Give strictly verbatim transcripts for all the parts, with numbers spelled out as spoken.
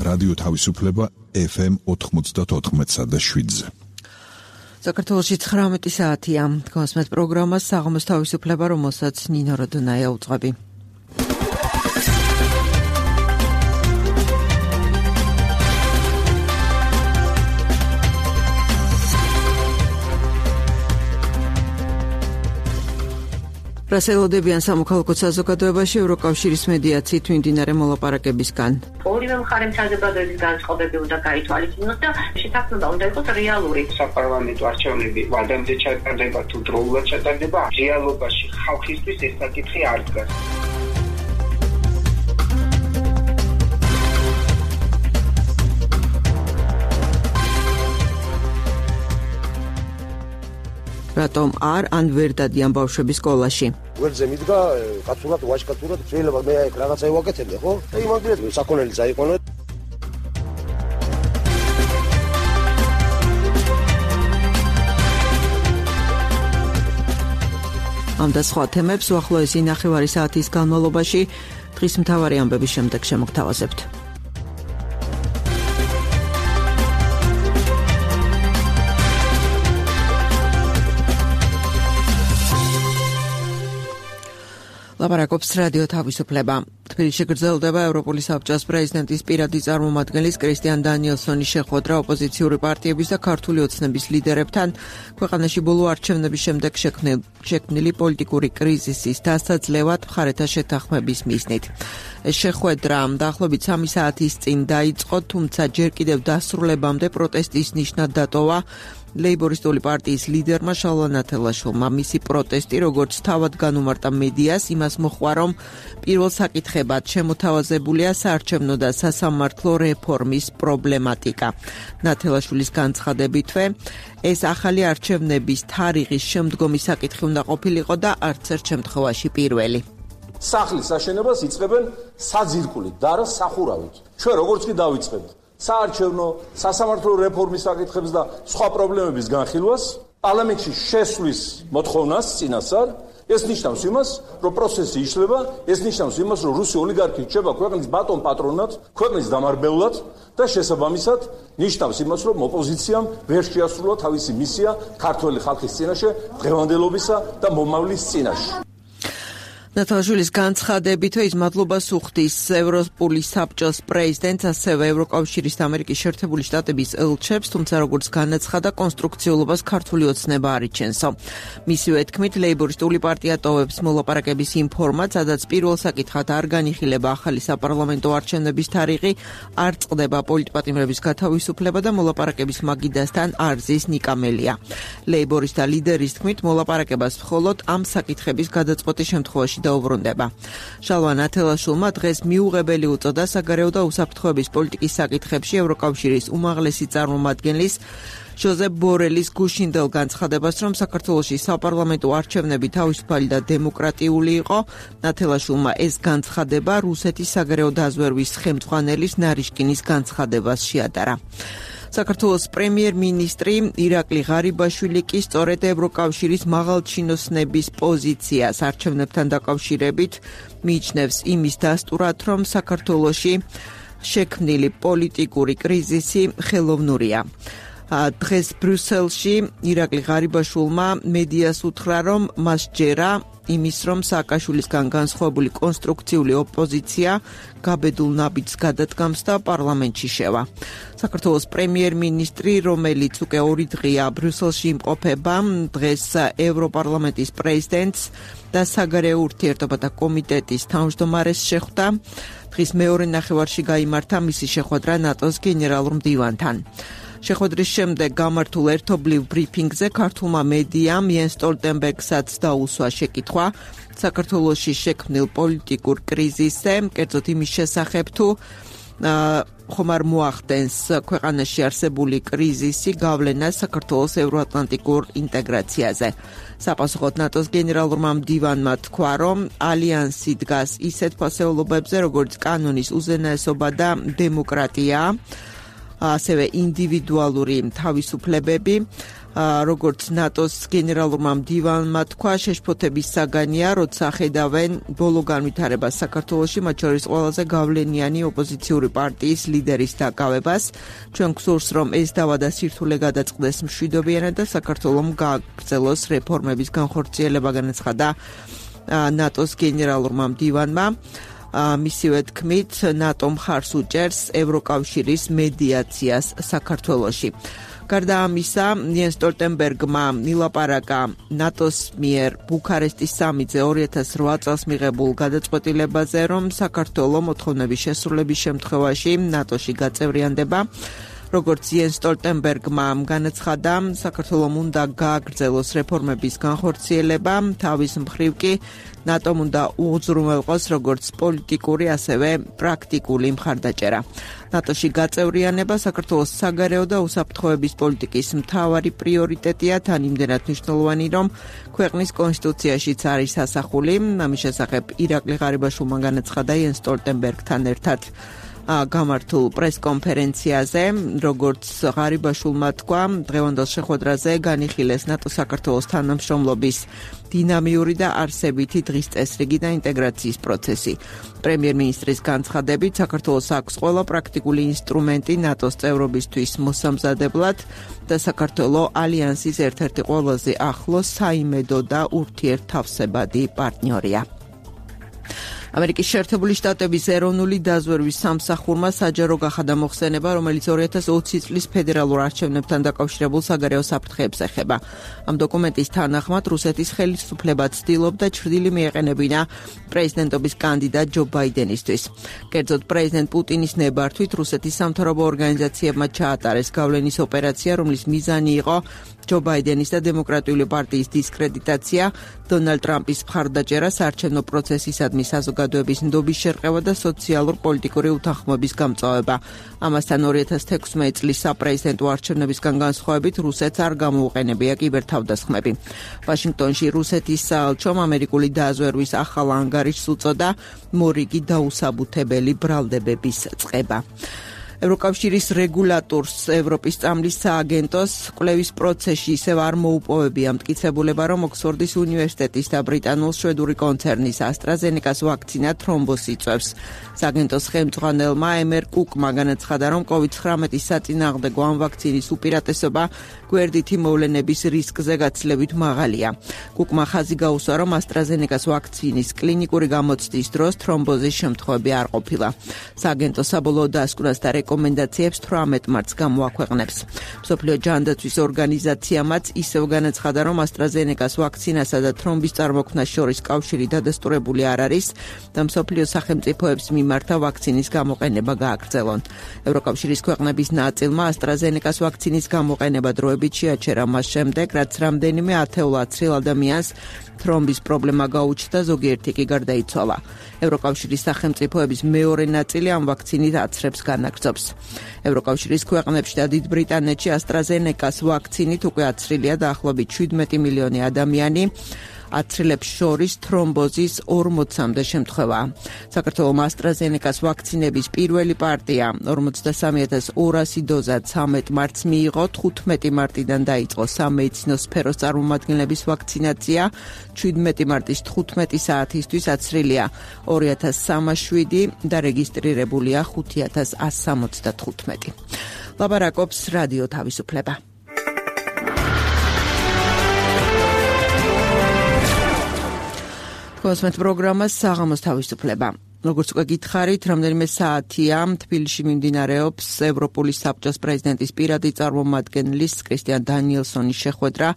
რადიო თავისუფლება ეფ ემ ოთხმოცდაოთხ და შვიდზე. საქართველოში ცხრამეტი საათია. გასმეთ პროგრამას საღამოს თავისუფლება, რომელსაც ნინო როდონაია უძღვები. რასელოდებიან სამოქალაქო საზოგადოებაში ევროკავშირის მედიაციით მიმდინარე მოლაპარაკებისგან. ორივე მხარემ საზოგადოების განწყობები უნდა გაითვალისწინოს და შეთანხმება უნდა იყოს რეალური. საპარლამენტო არჩევნები ვადამდე ჩატარდება თუ დროულად ჩატარდება, რეალობაში ხალხისთვის ეს საკითხი არ დგას. რატომ არ ან ვერ დადიან ბავშვები სკოლაში? ვერძე მიდგა, კაცურად, ვაჟკაცურად, შეიძლება მე აი რაღაცა ევაკეთებდი, ხო? და იმაგრეთ საქონელი წაიყვანო. ამ და სხვა თემებს უახლოესი ნახევარი საათის განმავლობაში დღის მთავარი ამბების შემდეგ შემოგთავაზებთ. ლაპარაკობს რადიო თავისუფლება. თბილისში გრძელდება ევროპული საბჭოს პრეზიდენტის პირადი წარმომადგენლის კრისტიან დანიელსონის შეხვედრა ოპოზიციური პარტიების და ქართული ოცნების ლიდერებთან ქვეყანაში ბოლო არჩევნების შემდეგ შექმნილი პოლიტიკური კრიზისის დასაძლევად მხარეთა შეთანხმების მიზნით. ეს შეხვედრა დაახლოებით სამი საათის წინ დაიწყო, თუმცა ჯერ კიდევ დასრულებამდე პროტესტის ნიშნად დატოვა ლეიბორისტული პარტიის ლიდერმა შალვა ნათელაშვილმა. მისი პროტესტი, როგორც თავად განუმარტა მედიას, იმას მოჰყვა, რომ პირველ საკითხებად შემოთავაზებულია საარჩევნო და სასამართლო რეფორმის პრობლემატიკა. ნათელაშვილის განცხადებითვე, ეს ახალი არჩევნების თარიღის შემდგომი საკითხი უნდა ყოფილიყო და არც ერთ შემთხვევაში პირველი. სახლის აშენებას იწყებენ საძირკვლით და არა სახურავით. ჩვენ როგორც კი დავიწყებთ საარჩევნო, სასამართლო რეფორმის საკითხებს და სხვა პრობლემების განხილვას, პარლამენტში შესვლის მოთხოვნას წინასწარ, ეს ნიშნავს იმას, რომ პროცესი იშლება, ეს ნიშნავს იმას, რომ რუსი ოლიგარქი რჩება ქვეყნის ბატონ პატრონად, ქვეყნის დამარბევლად და შესაბამისად ნიშნავს იმას, რომ ოპოზიციამ ვერ შეასრულა თავისი მისია ქართველი ხალხის წინაშე, დღევანდელობისა და მომავლის წინაშე. ნათელაშვილის განცხადებითვე ის მადლობას უხდის ევროპული საბჭოს პრეზიდენტს, ასევე ევროკავშირის და ამერიკის შეერთებული შტატების ელჩებს, თუმცა როგორც განაცხადა, კონსტრუქციულობას ქართული ოცნება არ იჩენსო. მისივე თქმით, ლეიბორისტული პარტია ტოვებს მოლაპარაკების იმ ფორმატს, სადაც პირველ საკითხად არ განიხილება ახალი საპარლამენტო არჩევნების თარიღი, არ წყდება პოლიტპატიმრების გათავისუფლება და მოლაპარაკების მაგიდასთან არ ზის ნიკამელია. ლეიბორისტთა ლიდერის თქმით, მოლაპარაკებას მხოლოდ ამ საკითხების გადაწყვეტის შემთხვევაში დაუბრუნდება. შალვა ნათელაშვილმა დღეს მიუღებელი უწოდა საგარეო და უსაფრთხოების პოლიტიკის საკითხებში ევროკავშირის უმაღლესი წარმომადგენლის ჟოზეფ ბორელის გუშინდელ განცხადებას, რომ საქართველოში საპარლამენტო არჩევნები თავისუფალი და დემოკრატიული იყო. ნათელაშვილმა ეს განცხადება რუსეთის საგარეო დაზვერვის ხელმძღვანელის ნარიშკინის განცხადებას შეადარა. საქართველოს პრემიერ-მინისტრი ირაკლი ღარიბაშვილი კი სწორედ ევროკავშირის მაღალჩინოსნების პოზიციას არჩევნებთან დაკავშირებით მიიჩნევს იმის დასტურად, რომ საქართველოში შექმნილი პოლიტიკური კრიზისი ხელოვნურია. დღეს ბრიუსელში ირაკლი ღარიბაშვილმა მედიას უთხრა, რომ მას ჯერა იმის, რომ სააკაშვილისგან განსხვავებული კონსტრუქციული ოპოზიცია გაბედულ ნაბიჯს გადადგამს და პარლამენტში შევა. საქართველოს პრემიერ-მინისტრი, რომელიც უკვე ორი დღეა ბრიუსელში იმყოფება, დღეს ევროპარლამენტის პრეზიდენტს და საგარეო ურთიერთობათა კომიტეტის თავმჯდომარეს შეხვდა. დღის მეორე ნახევარში გაიმართა მისი შეხვედრა ნატოს გენერალურ მდივანთან. შეხვედრის შემდეგ გამართულ ერთობლივ ბრიფინგზე ქართულმა მედიამ იენს სტოლტენბერგსაც დაუსვა შეკითხვა საქართველოში შექმნილ პოლიტიკურ კრიზისზე, კერძოდ იმის შესახებ თუ ხომ არ მოახდენს ქვეყანაში არსებული კრიზისი გავლენას საქართველოს ევროატლანტიკურ ინტეგრაციაზე. საპასუხოდ ნატოს გენერალურმა მდივანმა თქვა, რომ ალიანსი დგას ისეთ ფასეულობებზე, როგორც კანონის უზენაესობა და დემოკრატია, ასევე ინდივიდუალური თავისუფლებები, როგორც ნატოს გენერალურმა მდივანმა თქვა, შეშფოთების საგანია, როცა ხედავენ ბოლო განვითარებას საქართველოში, მათ შორის ყველაზე გავლენიანი ოპოზიციური პარტიის ლიდერის დაკავებას. ჩვენ გვსურს, რომ ეს დავა და სირთულე გადაწყდეს მშვიდობიანად და საქართველომ გააგრძელოს რეფორმების განხორციელება, განაცხადა ნატოს გენერალურმა მდივანმა. მისივე თქმით, ნატო მხარს უჭერს ევროკავშირის მედიაციას საქართველოში. გარდა ამისა, იენს სტოლტენბერგმა ილაპარაკა ნატოს მიერ ბუქარესტის სამიტზე ორი ათას რვა წელს მიღებულ გადაწყვეტილებაზე, რომ საქართველო მოთხოვნების შესრულების შემთხვევაში ნატოში გაწევრიანდება. როგორც იენს სტოლტენბერგმა განაცხადა, საქართველომ უნდა გააგრძელოს რეფორმების განხორციელება, თავის მხრივ კი ნატომ უნდა უზრუნველყოს როგორც პოლიტიკური, ასევე პრაქტიკული მხარდაჭერა. ნატოში გაწევრიანება საქართველოს საგარეო და უსაფრთხოების პოლიტიკის მთავარი პრიორიტეტია, თან იმდენად მნიშვნელოვანი, რომ ქვეყნის კონსტიტუციაშიც არის ასახული. ამის შესახებ ირაკლი ღარიბაშვილმა განაცხადა იენს სტოლტენბერგთან ერთად გამართულ პრესკონფერენციაზე, როგორც ღარიბაშვილმა თქვა, დღევანდელ შეხვედრაზე განიხილეს ნატო-საქართველოს თანამშრომლობის დინამიური და არსებითი დღის წესრიგი და ინტეგრაციის პროცესი. პრემიერ-მინისტრის განცხადებით, საქართველოს აქვს ყველა პრაქტიკული ინსტრუმენტი ნატოს წევრობისთვის მოსამზადებლად და საქართველო ალიანსის ერთ-ერთი ყველაზე ახლო საიმედო და ურთიერთთავსებადი პარტნიორია. ამერიკის შეერთებული შტატების ეროვნული დაზვერვის სამსახურმა საჯარო გახადა მოხსენება, რომელიც ორი ათას ოცი წლის ფედერალურ არჩევნებთან დაკავშირებულ საგარეო საფრთხეებს ეხება. ამ დოკუმენტის თანახმად რუსეთის ხელისუფლება ცდილობდა ჩრდილი მიეყენებინა პრეზიდენტობის კანდიდატ ჯო ბაიდენისთვის. კერძოდ პრეზიდენტ პუტინის ნებართვით რუსეთის სამთავრობო ორგანიზაციებმა ჩაატარეს გავლენის ოპერაცია, რომლის მიზანი იყო ჯო ბაიდენის და დემოკრატიული პარტიის დისკრედიტაცია, დონალდ ტრამპის მხარდაჭერა, საარჩევნო პროცესისადმი საზოგადოების ნდობის შერყევა და სოციალურ-პოლიტიკური უთანხმოების გამწვავება. ამასთან ორი ათას თექვსმეტი წლის საპრეზიდენტო არჩევნებისგან განსხვავებით რუსეთს არ გამოუყენებია კიბერთავდასხმები. ვაშინგტონში რუსეთის საელჩომ ამერიკული დაზვერვის ახალ ანგარიშს უწოდა მორიგი დაუსაბუთებელი ბრალდებების წყება. ევროკავშირის რეგულატორს ევროპის წამლის სააგენტოს კვლევის პროცესში ისევ არ მოუპოვებია მტკიცებულება, რომ ოქსფორდის უნივერსიტეტის და ბრიტანულ-შვედური კონცერნის AstraZeneca-ს ვაქცინა თრომბოსი იწვევს. სააგენტოს ხელმძღვანელმა ემერ კუკმა განაცხადა, რომ კოვიდ ცხრამეტის საწინააღმდეგო ამ ვაქცინის უპირატესობა გვერდითი მოვლენების რისკზე გაცილებით მაღალია. კუკმა ხაზი გაუსვა, რომ AstraZeneca-ს ვაქცინის კლინიკური გამოცდის დროს თრომბოზის შემთხვევები არ ყოფილა. სააგენტო საბოლოო დასკვნას და რეკომენდაციებს თვრამეტ მარტს გამოაქვეყნებს. მსოფლიო ჯანდაცვის ორგანიზაციამაც ისევ განაცხადა, რომ AstraZeneca-ს ვაქცინასა და თრომბის წარმოქმნას შორის კავშირი დადასტურებული არ არის და მსოფლიო სახელმწიფოებს მიმართა ვაქცინის გამოყენება გააგრძელონ. ევროკავშირის ქვეყნების ნაწილმა AstraZeneca-ს ვაქცინის გამოყენება დროებით შეაჩერა მას შემდეგ, რაც რამდენიმე ათეულ ათრილ ადამიანს თრომბის პრობლემა გაუჩნდა, ზოგიერთი კი გარდაიცვალა. ევროკავშირის სახელმწიფოების მეორე ნაწილი ამ ვაქცინით აცრებს განაგრძობს. ევროკავშირის ქვეყნებში და დიდ ბრიტანეთში AstraZeneca-ს ვაქცინით უკვე აცრილია დაახლოებით შვიდმეტი მილიონი ადამიანი. აცრილებს შორის თრომბოზის ორმოცამდე შემთხვევაა. საქართველოს AstraZeneca-ს ვაქცინების პირველი პარტია ორმოცდასამი ათას ორასი დოზა ცამეტ მარტს მიიღო, თხუთმეტი მარტიდან დაიწყო სამედიცინო სფეროს წარმომადგენლების ვაქცინაცია, შვიდმეტი მარტის თხუთმეტი საათისთვის აცრილია ორი ათას სამას შვიდი და რეგისტრირებულია ხუთი ათას ასი სამოცდათხუთმეტი. ლაპარაკობს რადიო თავისუფლება. კოსმეთ პროგრამას საღამოს თავისუფლება. როგორც უკვე გითხარით, რამდენიმე საათია თბილისში მიმდინარეობს ევროპული საბჭოს პრეზიდენტის პირადი წარმომადგენლის კრისტიან დანიელსონის შეხვედრა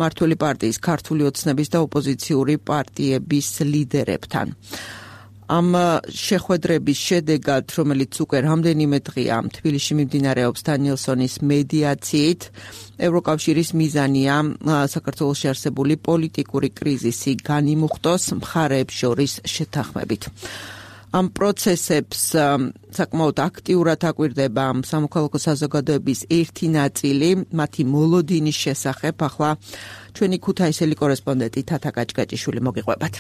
მართული პარტიის, ქართული ოცნების და ოპოზიციური პარტიების ლიდერებთან. ამ შეხვედრების შედეგად, რომელიც უკვე რამდენიმე დღეა თბილისში მიმდინარეობს დანიელსონის მედიაციით, ევროკავშირის მიზანია საქართველოში არსებული პოლიტიკური კრიზისი განიმუხტოს მხარეებს შორის შეთანხმებით. ამ პროცესებს საკმაოდ აქტიურად აკვირდება სამოქალაქო საზოგადოების ერთი ნაწილი, მათი მოლოდინის შესახებ. ახლა ჩვენი ქუთაისელი კორესპონდენტი თათა კაჭკაჭიშვილი მოგიყვებათ.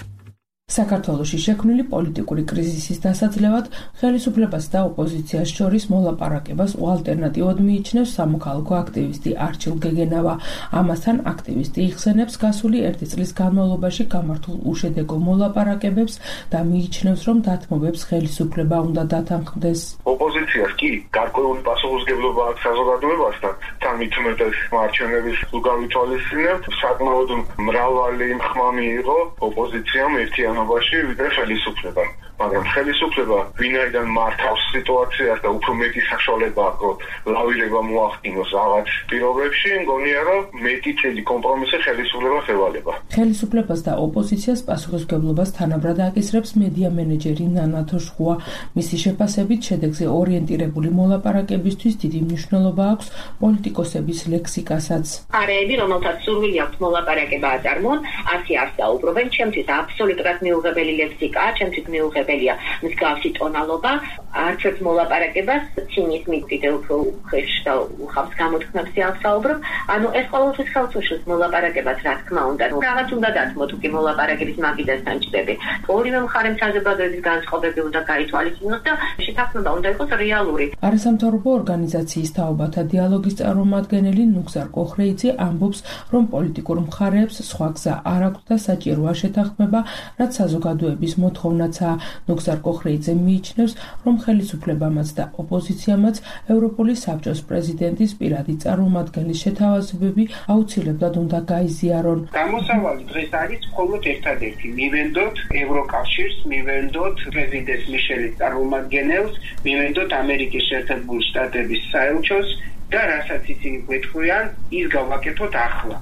საქართველოში შექმნილი პოლიტიკური კრიზისის დასაძლევად ხელისუფლებას და ოპოზიციას შორის მოლაპარაკებას ალტერნატივად მიიჩნევს სამოქალაქო აქტივისტი არჩილ გეგენავა. ამასთან აქტივისტი იხსენებს გასული ერთი წლის განმავლობაში გამართულ უშედეგო მოლაპარაკებებს და მიიჩნევს, რომ დათმობებს ხელისუფლება უნდა დათანხმდეს. ოპოზიციას კი გარკვეული პასუხისმგებლობა აქვს საზოგადოებასთან, თან მით უმეტეს მარჩენების უგავითვალისწინებთ, საკმაოდ მრავალი ხმამი იყო ოპოზიციამ ერთიანობაში ვიდრე ხელისუფლებამ. მაგრამ ხელისუფლება ვინაიდან მართავს სიტუაციას და უფრო მეტი საშუალება აქვს, რომ ლავირება მოახდინოს რაღაც პირობებში, მგონია, რომ მეტი წელი კომპრომისი ხელისუფლებას ევალება. ხელისუფლებას და ოპოზიციას პასუხისმგებლობას თანაბრად აკისრებს მედია მენეჯერი ნანა თოშხუა. მისი შეფასებით შედეგზე ორიენტირებული მოლაპარაკებისთვის დიდი მნიშვნელობა აქვს პოლიტიკოსების ლექსიკასაც. არეები, რომელთაც სურვილი აქვს მოლაპარაკება აწარმოონ, ასე არ საუბრობენ, ჩემთვის აბსოლუტურად მიუღებელი ლექსიკაა, ჩემთვის მიუღებელი მსგავსი ტონალობა, არც ერთ მოლაპარაკებას ცინიზმით კიდე უფრო უხეშ და უხავს გამოთქმებს აღსაუბრობ. ანუ ეს ყოველთვის ხელს უშლის მოლაპარაკებას, რა თქმა უნდა. რაღაც უნდა დათმოთ უკვე მოლაპარაკების მაგიდასთან ჭდები. ორივე მხარემ საზოგადოების განწყობები უნდა გაითვალისწინოს და შეთანხმება უნდა იყოს რეალური. არასამთავრობო ორგანიზაციის თაობათა დიალოგის წარმომადგენელი ნუგზარ კოხრეიძე ამბობს, რომ პოლიტიკურ მხარეებს სხვა გზა არ აქვს და საჭიროა შეთანხმება, რაც საზოგადოების მოთხოვნაცაა. ნუგზარ კოხრეიძე მიიჩნევს, რომ ხელისუფლებამაც და ოპოზიციამაც ევროპული საბჭოს პრეზიდენტის პირადი წარმომადგენლის შეთავაზებები აუცილებლად უნდა გაიზიარონ. გამოსავალი დღეს არის მხოლოდ ერთადერთი, მივენდოთ ევროკავშირს, მივენდოთ პრეზიდენტ მიშელის წარმომადგენელს, მივენდოთ ამერიკის შეერთებული შტატების საელჩოს და რასაც ისინი გვეთქვიან, ის გავაკეთოთ ახლა.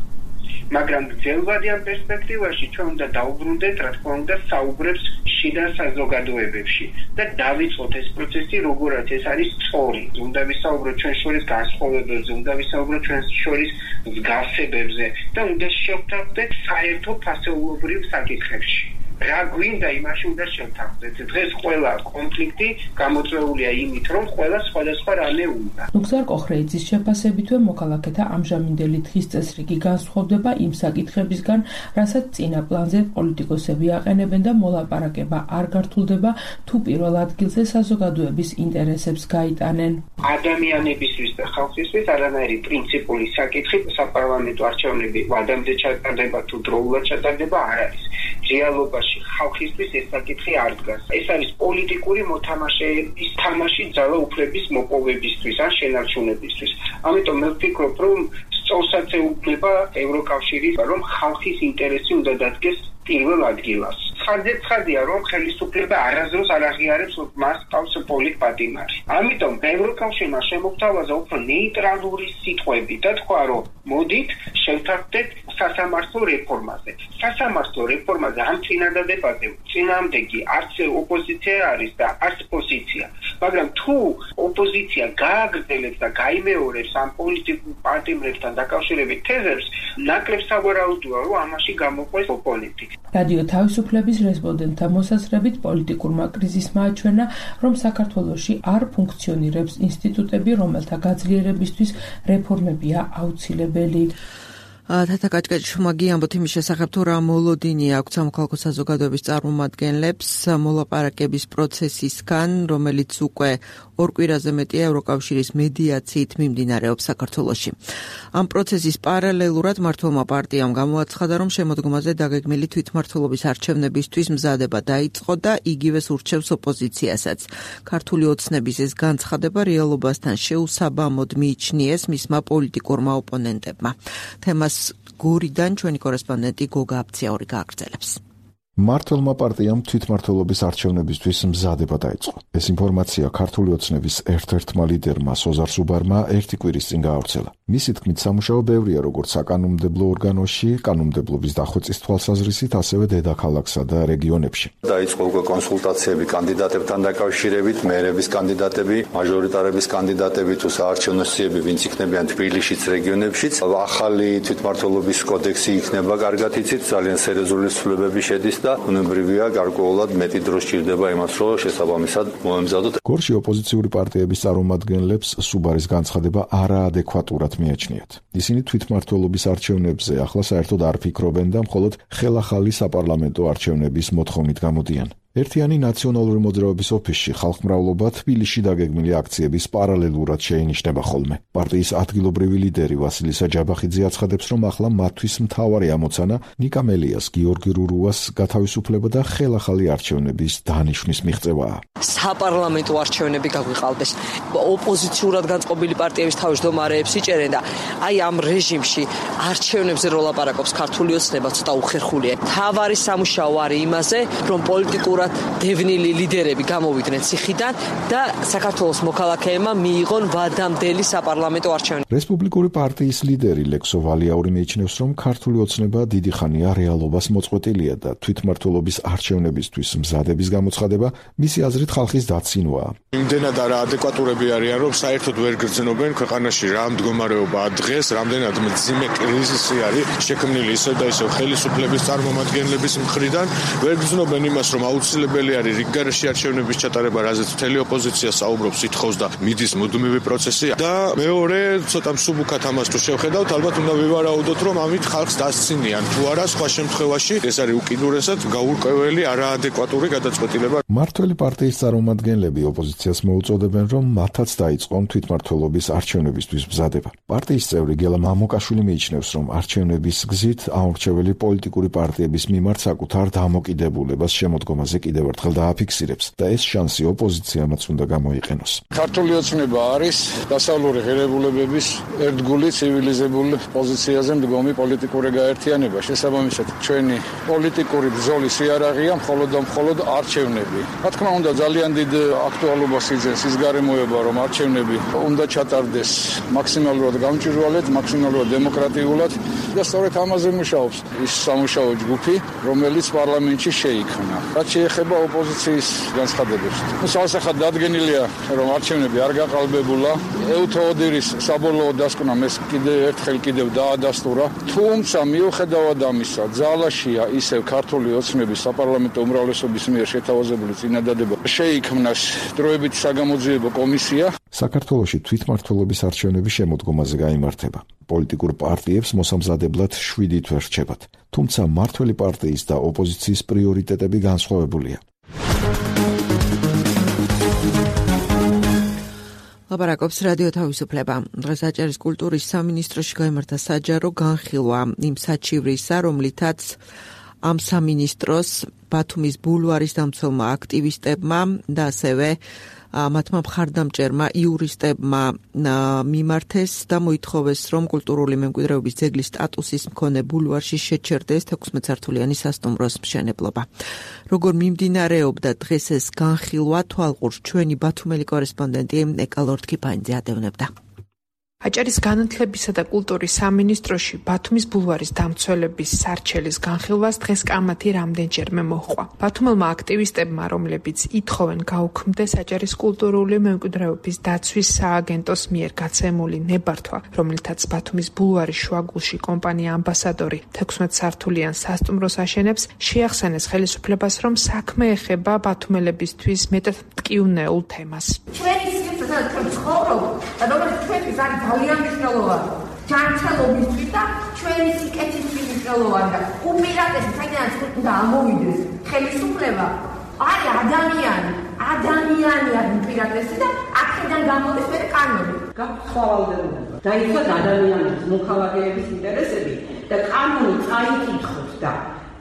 მაგრამ ძელვადიან პერსპექტივაში ჩვენ უნდა დაუბრუნდეთ, რა თქმა უნდა, საუბრებს შიდა საზოგადოებებში და დავიწყოთ ეს პროცესი, როგორაც ეს არის სწორი. უნდა ვისაუბროთ ჩვენ შორის განსხვავებებზე, უნდა ვისაუბროთ ჩვენ შორის მსგავსებებზე და უნდა შევთავაზოთ საერთო ფასეულობრივ საკითხებში. რა გვინდა იმაში უნდა შევთავაზოთ. დღეს ყველა კონფლიქტი გამოწვეულია იმით, რომ ყველა სხვადასხვა რამე უნდა. ნუგზარ კოხრეიძის შეფასებითვე მოქალაქეთა ამჟამინდელი დღის წესრიგი განსხვავდება იმ საკითხებისგან, რასაც წინა პლანზე პოლიტიკოსები აყენებენ და მოლაპარაკება არ გართულდება თუ პირველ ადგილზე საზოგადოების ინტერესებს გაიტანენ. ადამიანებისთვის და ხალხისთვის არანაირი პრინციპული საკითხი საპარლამენტო არჩევნები ვადამდე ჩატარდება თუ დროულად ჩატარდება არ არის. რეალობაში ხალხისთვის ეს საკითხი არ დგას. ეს არის პოლიტიკური მოთამაშეების თამაში ძალა უფლების მოპოვებისთვის ან შენარჩუნებისთვის. ამიტომ მე ვფიქრობ, რომ სწორსაც ეუბნება ევროკავშირის, რომ ხალხის ინტერესი უნდა დადგეს პირველ ადგილას. ხარჯზე ცხადია, რომ ხელისუფლება არასდროს არ აღიარებს მას ყავს პოლიტპატიმარი. ამიტომ ევროკავშირმა შემოგთავაზა უფრო ნეიტრალური სიტყვები და თქვა, რომ მოდით შევთავაზეთ სასამართლო რეფორმაზე. სასამართლო რეფორმაზე ამ წინადადებაზე წინააღმდეგი არც ოპოზიცია არის და არც პოზიცია. მაგრამ თუ ოპოზიცია გააგრძელებს და გაიმეორებს ამ პოლიტიკურ პარტიებთან დაკავშირებით თეზებს, ნაკლებ სავარაუდოა, რომ ამაში გამოყვეს ოპონენტი. რადიო თავისუფლების რესპონდენტთა მოსაზრებით პოლიტიკურმა კრიზისმა აჩვენა, რომ საქართველოში არ ფუნქციონირებს ინსტიტუტები, რომელთა გაძლიერებისთვის რეფორმებია აუცილებელი. თათა კაჭკაჭიშვილმა ამბობთ იმის შესახებ, თუ რა მოლოდინი აქვს სამოქალაქო საზოგადოების წარმომადგენლებს მოლაპარაკების პროცესისგან, რომელიც უკვე ორ კვირაზე მეტია ევროკავშირის მედიაციით მიმდინარეობს საქართველოში. ამ პროცესის პარალელურად მართლმა პარტიამ გამოაცხადა, რომ შემოდგომაზე დაგეგმილი თვითმმართველობის არჩევნებისთვის მზადება დაიწყო და იგივეს ურჩევს ოპოზიციასაც. ქართული ოცნების ეს განცხადება რეალობასთან შეუსაბამოდ მიიჩნიეს მისმა პოლიტიკურმა ოპონენტებმა. თემას გორიდან ჩვენი კორესპონდენტი გოგა აფციაური გააგრძელებს. მართლმა პარტიამ თვითმმართველობის არჩევნებისთვის მზადება დაიწყო. ეს ინფორმაცია ქართული ოცნების ერთ-ერთმა ლიდერმა სოზარ სუბარმა ერთი კვირის წინ გაავრცელა. მისი თქმით, სამუშაო ბევრია როგორც საკანონმდებლო ორგანოში, კანონმდებლობის დახვეწის თვალსაზრისით, ასევე დედაქალაქსა და რეგიონებში. დაიწყო უკვე კონსულტაციები კანდიდატებთან დაკავშირებით, მერების კანდიდატები, მაჟორიტარების კანდიდატები თუ საარჩევნო სიები, ვინც იქნებიან თბილისშიც, რეგიონებშიც. ახალი თვითმმართველობის კოდექსი იქნება კარგად იცით, ძალიან სერიოზული ცვლილებები შედის და უნებრივია გარკვეულად მეტი დრო სჭირდება იმას, რომ შესაბამისად მოემზადოთ. გორში ოპოზიციური პარტიების წარმომადგენლებს სუბარის განცხადება არაადეკვატურად მიაჩნიათ. ისინი თვითმმართველობის არჩევნებზე ახლა საერთოდ არ ფიქრობენ და მხოლოდ ხელახალი საპარლამენტო არჩევნების მოთხოვნით გამოდიან. ერთიანი ნაციონალური მოძრაობის ოფისში ხალხმრავლობა თბილისში დაგეგმილი აქციების პარალელურად შეინიშნება ხოლმე. პარტიის ადგილობრივი ლიდერი ვასილი საჯაბახიძე აცხადებს, რომ ახლა მათთვის მთავარი ამოცანა ნიკა მელიას, გიორგი რურუას გათავისუფლება და ხელახალი არჩევნების დანიშვნის მიღწევაა. საპარლამენტო არჩევნები გაგვიყალბეს. ოპოზიციურად განწყობილი პარტიების თავმჯდომარეებს იჭერენ და აი ამ რეჟიმში არჩევნებზე რო ლაპარაკობს ქართული ოცნება ცოტა უხერხულია. თავარი სამუშაო არის იმაზე, რომ პოლიტიკურ დევნილი ლიდერები გამოვიდნენ ციხიდან და საქართველოს მოქალაქეებმა მიიღონ ვადამდელი საპარლამენტო არჩევნები. რესპუბლიკური პარტიის ლიდერი ლექსო ვალიაური მიიჩნევს, რომ ქართული ოცნება დიდი ხანია რეალობას მოწყვეტილია და თვითმმართველობის არჩევნებისთვის მზადების გამოცხადება მისი აზრით ხალხის დაცინვაა. იმდენად არაადეკვატურები არიან, რომ საერთოდ ვერ გრძნობენ ქვეყანაში რა მდგომარეობაა დღეს, რამდენად მძიმე კრიზისი არის შექმნილი ისევ და ისევ ხელისუფლების წარმომადგენლების მხრიდან, ვერ გრძნობენ იმას, რომ აუცილებელი არის რიგგარეშე არჩევნების ჩატარება, რაზეც მთელი ოპოზიცია საუბრობს, ითხოვს და მიდის მუდმივი პროცესი. და მეორე, ცოტა მსუბუქად ამას თუ შევხედავთ, ალბათ უნდა ვივარაუდოთ, რომ ამით ხალხს დასცინიან. თუ არა, სხვა შემთხვევაში ეს არის უკიდურესად გაურკვეველი არაადეკვატური გადაწყვეტილება. მმართველი პარტიის წარმომადგენლები ოპოზიციას მოუწოდებენ, რომ მათაც დაიწყონ თვითმმართველობის არჩევნებისთვის მზადება. პარტიის წევრი გელა მამუკაშვილი მიიჩნევს, რომ არჩევნების გზით აუმრჩეველი პოლიტიკური პარტიების მიმართ საკუთარ დამოკიდებულებას შემოდგომაზე კიდევ ერთხელ დააფიქსირებს და ეს შანსი ოპოზიციამაც უნდა გამოიყენოს. ქართული ოცნება არის დასავლური ღირებულებების ერთგული ცივილიზებული პოზიციაზე მდგომი პოლიტიკური გაერთიანება. შესაბამისად, ჩვენი პოლიტიკური ბრძოლის იარაღია მხოლოდ და მხოლოდ არჩევნები. რა თქმა უნდა, ძალიან დიდ აქტუალობას იძენს ის გარემოება, რომ არჩევნები უნდა ჩატარდეს მაქსიმალურად გამჭვირვალედ, მაქსიმალურად დემოკრატიულად და სწორედ ამაზე მუშაობს ის სამუშაო ჯგუფი, რომელიც პარლამენტში შეიქმნა. რაც შეეხება ოპოზიციის განცხადებებს. სასახად დადგენილია, რომ არჩევნები არ გაყალბებულა. ევთოოდირის საბოლოო დასკვნამ ეს კიდევ ერთხელ კიდევ დაადასტურა. თუმცა მიუხედავად ამისა, ძალაშია ისევ ქართული ოცნების საპარლამენტო უმრავლესობის მიერ შეთავაზებული წინადადება შეიქმნას დროებით საგამოძიებო კომისია. საქართველოში თვითმმართველობის არჩევნები შემოდგომაზე გაიმართება. პოლიტიკურ პარტიებს მოსამზადებლად შვიდი თვე რჩებათ. თუმცა მმართველი პარტიის და ოპოზიციის პრიორიტეტები განსხვავებულია. ლაპარაკობს რადიო თავისუფლება. დღეს აჭარის კულტურის სამინისტროში გაიმართა საჯარო განხილვა იმ საჩივრისა, რომლითაც ამ სამინისტროს ბათუმის ბულვარის დამცველმა აქტივისტებმა და ასევე მათმა მხარდამჭერმა იურისტებმა მიმართეს და მოითხოვეს, რომ კულტურული მემკვიდრეობის ძეგლის სტატუსის მქონე ბულვარში შეჩერდეს თექვსმეტსართულიანი სასტუმროს მშენებლობა. როგორ მიმდინარეობდა დღეს ეს განხილვა, თვალყურს ჩვენი ბათუმელი კორესპონდენტი ეკა ლორთქიფანიძე ადევნებდა. აჭარის განათლებისა და კულტურის სამინისტროში ბათუმის ბულვარის დამცველების სარჩელის განხილვას დღეს კამათი რამდენჯერმე მოჰყვა. ბათუმელმა აქტივისტებმა, რომლებიც ითხოვენ გაუქმდეს აჭარის კულტურული მემკვიდრეობის დაცვის სააგენტოს მიერ გაცემული ნებართვა, რომელთაც ბათუმის ბულვარის შუაგულში კომპანია ამბასადორი თექვსმეტსართულიან სასტუმროს აშენებს, შეახსენეს ხელისუფლებას, რომ საქმე ეხება ბათუმელებისთვის მეტად მტკივნეულ თემას. ჩვენი სივრცე ცხოვრობ და რომელიც ჩვენთვის არის ძალიან მნიშვნელოვანი. ჯანმრთელობისთვის და ჩვენი სიკეთისთვის მნიშვნელოვანი და უპირატესად საიდანაც უნდა ამოვიდეს ხელისუფლება არის ადამიანი, ადამიანი არის უპირატესი და აქედან გამოდის მე კანონი. გაფრთხავალდება. დაიცვა ადამიანის მოქალაქეების ინტერესები და კანონი წაიკითხოს და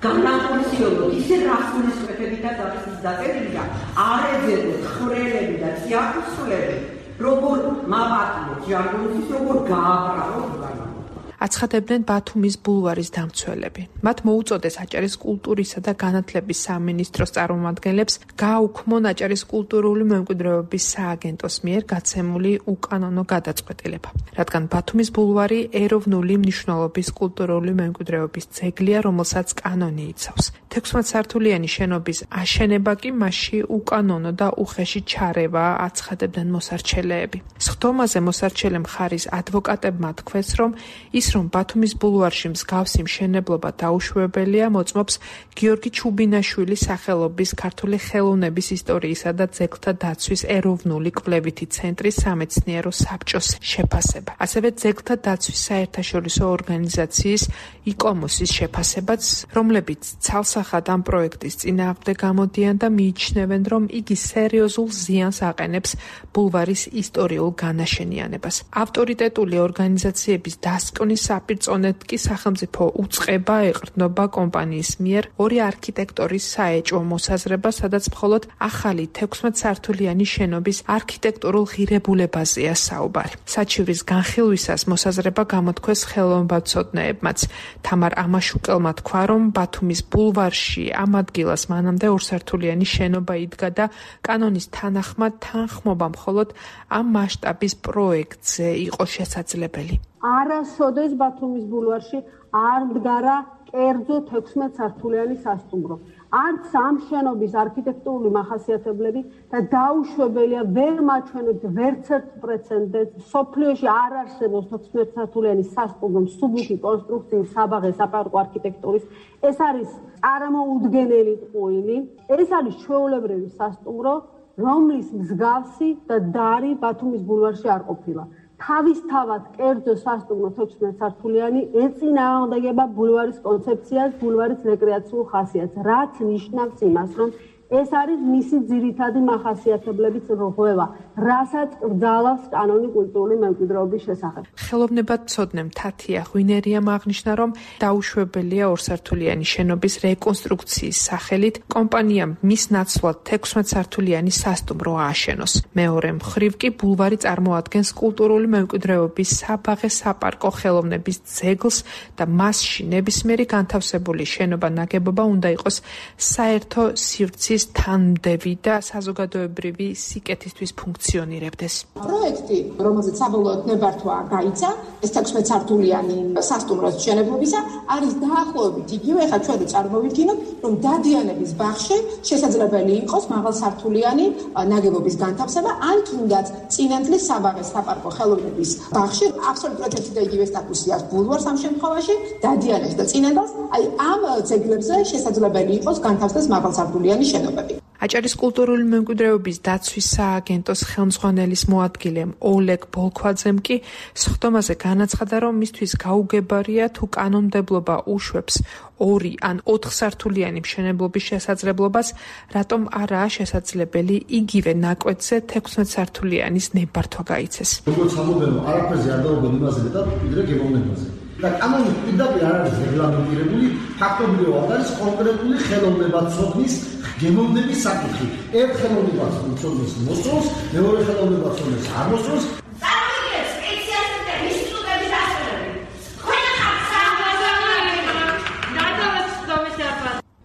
განახორციელოთ ისე რასტურისკვეთებითაც არის ის დაწერილი და არ ეძებოთ ხრელები და სიახსულები, როგორ მაპატიოთ ჟარგონის, როგორ გააბრალოთ განახორციელოთ. აცხადებდნენ ბათუმის ბულვარის დამცველები. მათ მოუწოდეს აჭარის კულტურისა და განათლების სამინისტროს წარმომადგენლებს გააუქმონ აჭარის კულტურული მემკვიდრეობის სააგენტოს მიერ გაცემული უკანონო გადაწყვეტილება. რადგან ბათუმის ბულვარი ეროვნული მნიშვნელობის კულტურული მემკვიდრეობის ძეგლია, რომელსაც კანონი იცავს. თექვსმეტსართულიანი შენობის აშენება კი მასში უკანონო და უხეში ჩარევა, აცხადებდნენ მოსარჩელეები. სხდომაზე მოსარჩელე მხარის ადვოკატებმა თქვეს, რომ ის რომ ბათუმის ბულვარში მსგავსი მშენებლობა დაუშვებელია, მოწმობს გიორგი ჩუბინაშვილის სახელობის ქართული ხელოვნების ისტორიისა და ძეგლთა დაცვის ეროვნული კვლევითი ცენტრის სამეცნიერო საბჭოს შეფასება. ასევე ძეგლთა დაცვის საერთაშორისო ორგანიზაციის იკომოსის შეფასებაც, რომლებიც ცალსახად ამ პროექტის წინააღმდეგ გამოდიან და მიიჩნევენ, რომ იგი სერიოზულ ზიანს აყენებს ბულვარის ისტორიულ განაშენიანებას. ავტორიტეტული ორგანიზაციების დასკვნის საპირწონედ კი სახელმწიფო უწყება ეყრდნობა კომპანიის მიერ ორი არქიტექტორის საეჭვო მოსაზრება, სადაც მხოლოდ ახალი თექვსმეტსართულიანი შენობის არქიტექტურულ ღირებულებაზეა საუბარი. საჩივრის განხილვისას მოსაზრება გამოთქვეს ხელოვნებაცოდნეებმაც. თამარ ამაშუკელმა თქვა, რომ ბათუმის ბულვარში ამ ადგილას მანამდე ორსართულიანი შენობა იდგა და კანონის თანახმად თანხმობა მხოლოდ ამ მასშტაბის პროექტზე იყო შესაძლებელი. არასოდეს ბათუმის ბულვარში არ მდგარა კერძო თექვსმეტსართულიანი სასტუმრო. არც ამ შენობის არქიტექტურული მახასიათებლები და დაუშვებელია ვერ მაჩვენებთ ვერცერთ პრეცედენტს. სოფლიოში არ არსებობს თექვსმეტსართულიანი სასტუმრო მსუბუქი კონსტრუქციის საბაღე საპარკო არქიტექტურის. ეს არის წარმოუდგენელი ტყუილი. ეს არის ჩვეულებრივი სასტუმრო, რომლის მსგავსი და დარი ბათუმის ბულვარში არ ყოფილა. თავისთავად კერძო სასტუმრო თექვსმეტსართულიანი ეწინააღმდეგება ბულვარის კონცეფციას, ბულვარის რეკრეაციულ ხასიათს, რაც ნიშნავს იმას, რომ ეს არის მისი ძირითადი მახასიათებლების რღვევა, რასაც კრძალავს კანონი კულტურული მემკვიდრეობის შესახებ. ხელოვნებაცოდნე თათია ღვინერიამ აღნიშნა, რომ დაუშვებელია ორსართულიანი შენობის რეკონსტრუქციის სახელით კომპანიამ მის ნაცვლად თექვსმეტსართულიანი სასტუმრო ააშენოს. მეორე მხრივ კი ბულვარი წარმოადგენს კულტურული მემკვიდრეობის საბაღე საპარკო ხელოვნების ძეგლს და მასში ნებისმიერი განთავსებული შენობა ნაგებობა უნდა იყოს საერთო სივრცის თანმდევი და საზოგადოებრივი სიკეთისთვის ფუნქციონირებდეს. პროექტი, რომელზეც საბოლოოდ ნებართვა გაიცა, ეს თექვსმეტსართულიანი სასტუმროს მშენებლობისა, არის დაახლოებით იგივე. ეხლა ჩვენ წარმოვიდგინოთ, რომ დადიანების ბაღში შესაძლებელი იყოს მაღალსართულიანი ნაგებობის განთავსება, ან თუნდაც წინანდლის საბაღე საპარკო ხელოვნების ბაღში აბსოლუტურად ერთი და იგივე სტატუსი აქვს ბულვარს ამ შემთხვევაში, დადიანებს და წინანდელს, აი ამ ძეგლებზე შესაძლებელი იყოს განთავსდეს მაღალსართულიანი შენობა. აჭარის კულტურული მემკვიდრეობის დაცვის სააგენტოს ხელმძღვანელის მოადგილემ ოლეგ ბოლქვაძემ კი სხდომაზე განაცხადა, რომ მისთვის გაუგებარია თუ კანონმდებლობა უშვებს ორი ან ოთხსართულიანი მშენებლობის შესაძლებლობას, რატომ არაა შესაძლებელი იგივე ნაკვეთზე თექვსმეტსართულიანის ნებართვა გაიცეს. როგორც ამბობენ, არაფერზე არ დაუბრუნდა იმაზე და ვიდრე გემოვნებაზე. და კანონი პირდაპირ არ არის რეგლამენტირებული, ფაქტობრივად არის კონკრეტული ხელოვნებაცოდნის გემოვნების საკითხი. ერთ ხელოვნებაცოდნის მოსწონს, მეორე ხელოვნებაცოდნის არ მოსწონს.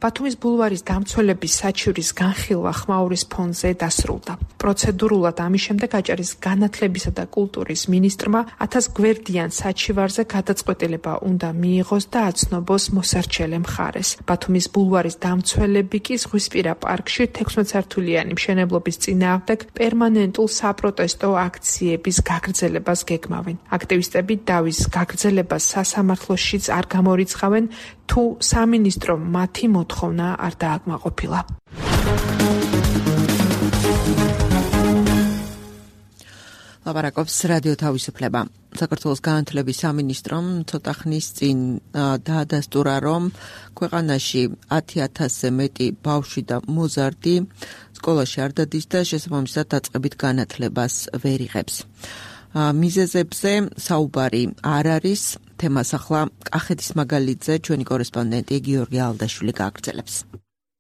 ბათუმის ბულვარის დამცველების საჩივრის განხილვა ხმაურის ფონზე დასრულდა. პროცედურულად ამის შემდეგ აჭარის განათლებისა და კულტურის მინისტრმა ათას გვერდიან საჩივარზე გადაწყვეტილება უნდა მიიღოს და აცნობოს მოსარჩელე მხარეს. ბათუმის ბულვარის დამცველები კი ზღვისპირა პარკში თექვსმეტსართულიანი მშენებლობის წინააღმდეგ პერმანენტულ საპროტესტო აქციების გაგრძელებას გეგმავენ. აქტივისტები დავის გაგრძელებას სასამართლოშიც არ გამორიცხავენ, თუ სამინისტრომ მათი მოთხოვნა არ დააკმაყოფილა. ლაპარაკობს რადიო თავისუფლება. საქართველოს განათლების სამინისტრომ ცოტა ხნის წინ დაადასტურა, რომ ქვეყანაში ათი ათასზე მეტი ბავშვი და მოზარდი სკოლაში არ დადის და შესაბამისად დაწყებით განათლებას ვერ იღებს. მიზეზებზე საუბარი არ არის. თემას ახლა კახეთის მაგალითზე ჩვენი კორესპონდენტი გიორგი ალდაშვილი გააგრძელებს.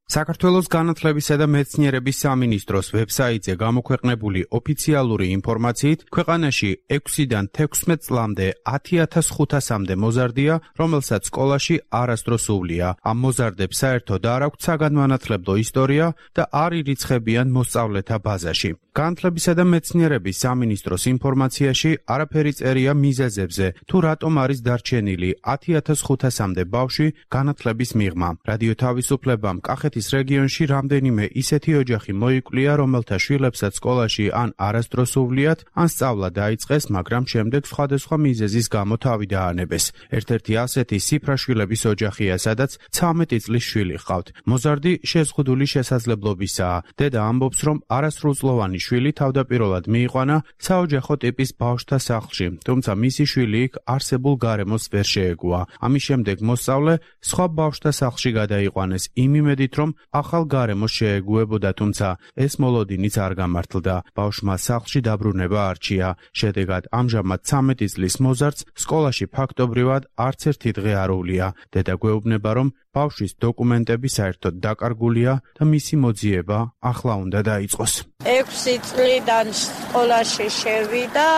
საქართველოს განათლებისა და მეცნიერების სამინისტროს ვებსაიტზე გამოქვეყნებული ოფიციალური ინფორმაციით, ქვეყანაში ექვსიდან თექვსმეტ წლამდე ათი ათას ხუთასამდე მოზარდია, რომელსაც სკოლაში არასდროს უვლია. ამ მოზარდებს საერთოდ არ აქვთ საგანმანათლებლო ისტორია და არ ირიცხებიან მოსწავლეთა ბაზაში. განათლებისა და მეცნიერების სამინისტროს ინფორმაციაში არაფერი წერია მიზეზებზე, თუ რატომ არის დარჩენილი ათი ათას ხუთასამდე ბავშვი განათლების მიღმა. რადიო თავისუფლებამ კახეთის რუსეთის რეგიონში რამდენიმე ისეთი ოჯახი მოიკვლია, რომელთა შვილებსაც სკოლაში ან არასდროს უვლიათ, ან სწავლა დაიწყეს, მაგრამ შემდეგ სხვადასხვა მიზეზის გამო თავი დაანებეს. ერთ-ერთი ასეთი სიფრაშვილების ოჯახია, სადაც ცამეტი წლის შვილი ჰყავთ. მოზარდი შეზღუდული შესაძლებლობისაა. დედა ამბობს, რომ არასრულწლოვანი შვილი თავდაპირველად მიიყვანა საოჯახო ტიპის ბავშვთა სახლში, თუმცა მისი შვილი იქ არსებულ გარემოს ვერ შეეგუა. ამის შემდეგ მოსწავლე სხვა ბავშვთა სახლში გადაიყვანეს იმ იმედით, რომ ახალ გარემოს შეეგუებოდა, თუმცა ეს მოლოდინიც არ გამართლდა. ბავშვმა სახლში დაბრუნება არჩია. შედეგად ამჟამად ცამეტი წლის მოზარდს სკოლაში ფაქტობრივად არც ერთი დღე არ უვლია. დედა გვეუბნება, რომ ბავშვის დოკუმენტები საერთოდ დაკარგულია და მისი მოძიება ახლა უნდა დაიწყოს. ექვსი წლიდან სკოლაში შევიდა,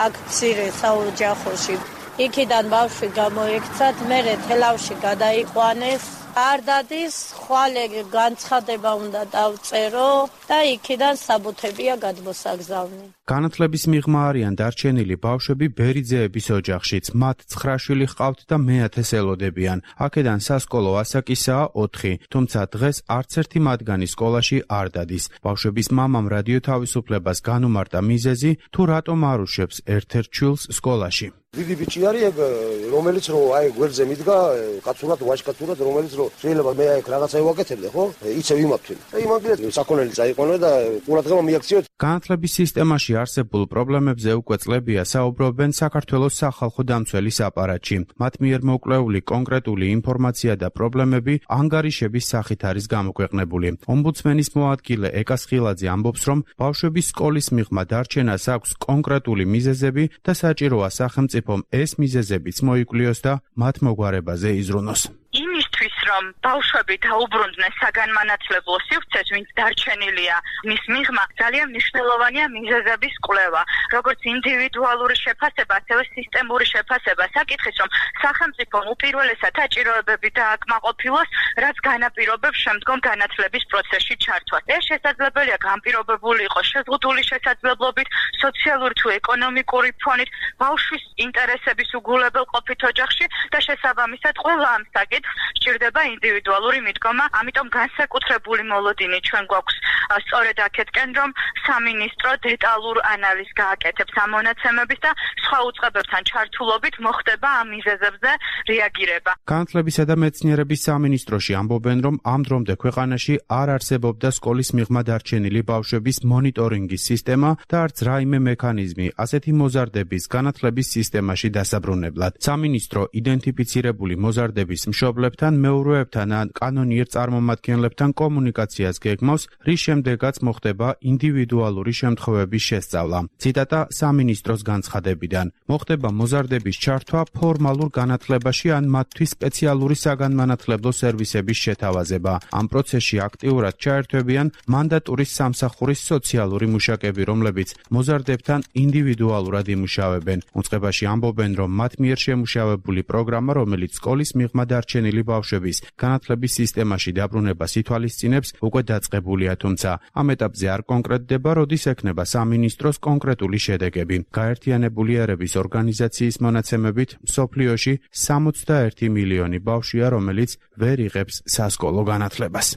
აქ მცირე საოჯახოში. იქიდან ბავშვი გამოიქცათ, მერე თელავში გადაიყვანეს. არ დადის, ხვალე განცხადება უნდა დავწერო და იქიდან საბუთებია გადმოსაგზავნი. განათლების მიღმა არიან დარჩენილი ბავშვები ბერიძეების ოჯახშიც. მათ ცხრა შვილი ჰყავთ და მეათეს ელოდებიან. აქედან სასკოლო ასაკისაა ოთხი, თუმცა დღეს არც ერთი მათგანი სკოლაში არ დადის. ბავშვების მამამ რადიო თავისუფლებას განუმარტა მიზეზი, თუ რატომ არ უშვებს ერთ-ერთ შვილს სკოლაში. დიდი ბიჭი არის ეგ, რომელიც რო აი გვერდზე მიდგა, კაცურად, ვაჟკაცურად, რომელიც რო შეიძლება მე აი რაღაცა ვაკეთებდე, ხო? იცევ იმაფთვი. და იმაგრეთ საქონელი წაიყვანა და ყურადღება მიაქციოთ. განათლების სისტემაში არსებულ პრობლემებზე უკვე წლებია საუბრობენ საქართველოს სახალხო დამცველის აპარატში. მათ მიერ მოკვლეული კონკრეტული ინფორმაცია და პრობლემები ანგარიშების სახით არის გამოქვეყნებული. ომბუდსმენის მოადგილე ეკა სხილაძე ამბობს, რომ ბავშვების სკოლის მიღმა დარჩენას აქვს კონკრეტული მიზეზები და საჭიროა სახელმწიფომ ეს მიზეზებიც მოიკვლიოს და მათ მოგვარებაზე იზრუნოს. იმისთვის, რომ ბავშვები დაუბრუნდნენ საგანმანათლებლო სივრცეს, ვინც დარჩენილია, მის მიღმა ძალიან მნიშვნელოვანია მიზეზების კვლევა, როგორც ინდივიდუალური შეფასება, ასევე სისტემური შეფასება. საკითხის, რომ სახელმწიფომ უპირველესად საჭიროებები დააკმაყოფილოს, რაც განაპირობებს შემდგომ განათლების პროცესში ჩართვას. ეს შესაძლებელია განპირობებული იყოს შეზღუდული შესაძლებლობით, სოციალური თუ ეკონომიკური ფონით, ბავშვის ინტერესების უგულებელყოფით ოჯახში და შესაბამისად ყველა ამ საკითხს სჭირდება ინდივიდუალური მიდგომა, ამიტომ განსაკუთრებული მოლოდინი ჩვენ გვაქვს სწორედ აქეთკენ, რომ სამინისტრო დეტალურ ანალიზს გააკეთებს ამ მონაცემების და სხვა უწყებებთან ჩართულობით მოხდება ამ მიზეზებზე რეაგირება. განათლებისა და მეცნიერების სამინისტროში ამბობენ, რომ ამ დრომდე ქვეყანაში არ არსებობდა სკოლის მიღმა დარჩენილი ბავშვების მონიტორინგის სისტემა და არც რაიმე მექანიზმი ასეთი მოზარდების განათლების სისტემაში დასაბრუნებლად. სამინისტრო იდენტიფიცირებული მოზარდების მშობლებთან, მეურვეებთან ან კანონიერ წარმომადგენლებთან კომუნიკაციას გეგმავს, რის შემდეგაც მოხდება ინდივიდუალური შემთხვევების შესწავლა. ციტატა სამინისტროს განცხადებიდან. მოხდება მოზარდების ჩართვა ფორმალურ განათლებაში ან მათთვის სპეციალური საგანმანათლებლო სერვისების შეთავაზება. ამ პროცესში აქტიურად ჩაერთვებიან მანდატურის სამსახურის სოციალური მუშაკები, რომლებიც მოზარდებთან ინდივიდუალურად იმუშავებენ. უწყებაში ამბობენ, რომ მათ მიერ შემუშავებული პროგრამა, რომელიც სკოლის მიღმა დარჩენილი ბავშვების განათლების სისტემაში დაბრუნებას ითვალისწინებს, უკვე დაწყებულია, თუმცა ამ ეტაპზე არ კონკრეტდება, როდის ექნება სამინისტროს კონკრეტული შედეგები. გაერთიანებული ერების ორგანიზაციის მონაცემებით, მსოფლიოში სამოცდაერთი მილიონი ბავშვია, რომელიც ვერ იღებს სასკოლო განათლებას.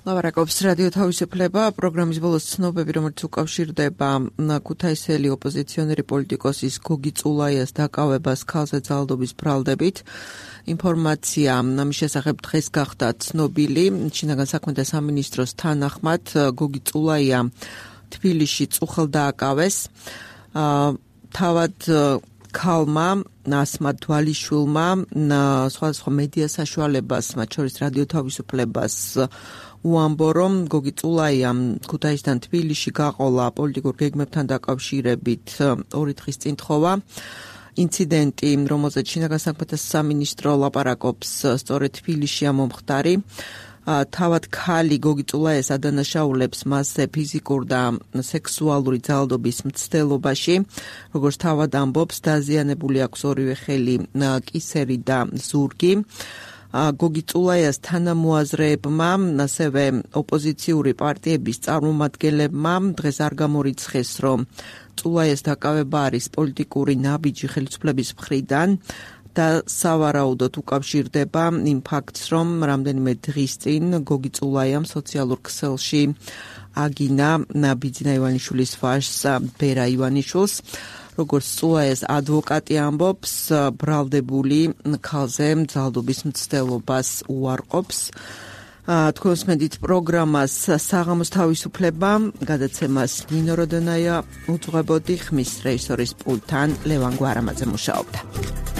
ლავარაკობს რადიო თავისუფლება, პროგრამის ბოლოს ცნობები, რომელიც უკავშირდება ქუთაისელი ოპოზიციონერი პოლიტიკოსის გოგი წულაიას დაკავებას ქალზე ძალადობის ბრალდებით. ინფორმაცია ამის შესახებ დღეს გახდა ცნობილი. შინაგან საქმეთა სამინისტროს თანახმად გოგი წულაია თბილისში წუხელ დააკავეს. თავად ქალმა ასმად თვალიშვილმა სხვადასხვა მედია საშუალებას, მათ შორის რადიო თავისუფლებას უამბო, რომ გოგი წულაიამ ქუთაისთან თბილისში გაყოლა პოლიტიკურ გეგმებთან დაკავშირებით ორი დღის წინ თხოვა. ინციდენტი, რომელზეც შინაგან საქმეთა სამინისტრო ლაპარაკობს, სწორედ თბილისშია მომხდარი. თავად ქალი გოგი წულაიას ადანაშაულებს მასზე ფიზიკურ და სექსუალური ძალადობის მცდელობაში. როგორც თავად ამბობს, დაზიანებული აქვს ორივე ხელი, კისერი და ზურგი. გოგი წულაიას თანამოაზრეებმა, ასევე ოპოზიციური პარტიების წარმომადგენლებმა დღეს არ გამორიცხეს, რომ წულაიას დაკავება არის პოლიტიკური ნაბიჯი ხელისუფლების მხრიდან. და სავარაუდოდ უკავშირდება იმ ფაქტს, რომ რამდენიმე დღის წინ გოგი წულაიამ სოციალურ ქსელში აგინა ბიძინა ივანიშვილის ვაჟს ბერა ივანიშვილს. როგორც წულაიას ადვოკატი ამბობს, ბრალდებული ქალზე ძალადობის მცდელობას უარყოფს. თქვენს მედით პროგრამას საღამოს თავისუფლება გადაცემას ნინო როდონაია უძღვებოდი, ხმის რეჟისორის პულტთან ლევან გვარამაძე მუშაობდა.